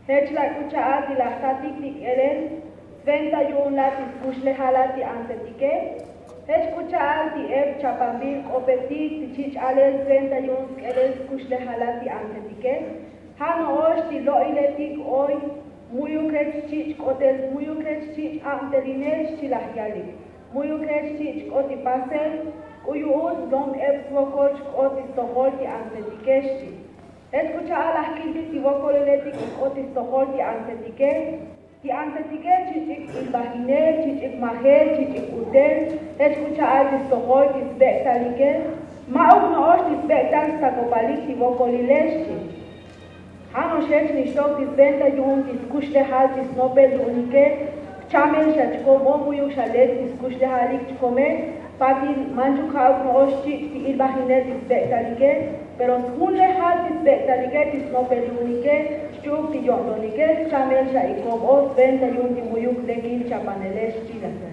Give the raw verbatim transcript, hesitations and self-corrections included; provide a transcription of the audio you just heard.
Jech la' k'u cha'al ti lajtatik ti k'elel sventa yu'un la' ti skuxlejal la' ti antsetike. Jech k'u cha'al ti ep chapanbil k'opetik ti chich' alel sventa yu'un sk'elel skuxlejal la' ti antsetike. Ja' no'ox ti lo'iletik oy mu'yuk jech chich' k'otel mu'yuk jech chich' abtelinel xchi laj yalik. Mu'yuk jech chich' k'ot ti pasel k'u yu'un lom ep svokol xk'ot ti stojol ti antsetike xchi. Jech k'u cha'al laj kiltik ti vokoliletik k'ot ti stojol ti antsetike. Ti antsetike chich'ik ilbajinel chich'ik majel chich'ik utel. Jech k'u cha'al ti stojol ti sbek'talike. Ma'uk no'ox ti sbek'tal stakopalik ti vokolile xchi. Ja' no'ox jech nixtok ti sventa yu'un ti skuxlejal ti snopel yu'unike. Jchamel xa chkom o mu'yuk xa lek ti skuxlejalik chkome. Patil manchuk ja'uk no'ox chich' ti ilbajinel ti sbek'talike. Pero sjunlejal ti sbek'talike ti snopel yu'unike xchi'uk ti yo'ntonike jchamel xa ikom o sventa yu'un ti mu'yuk lekil chapanele xchi laj.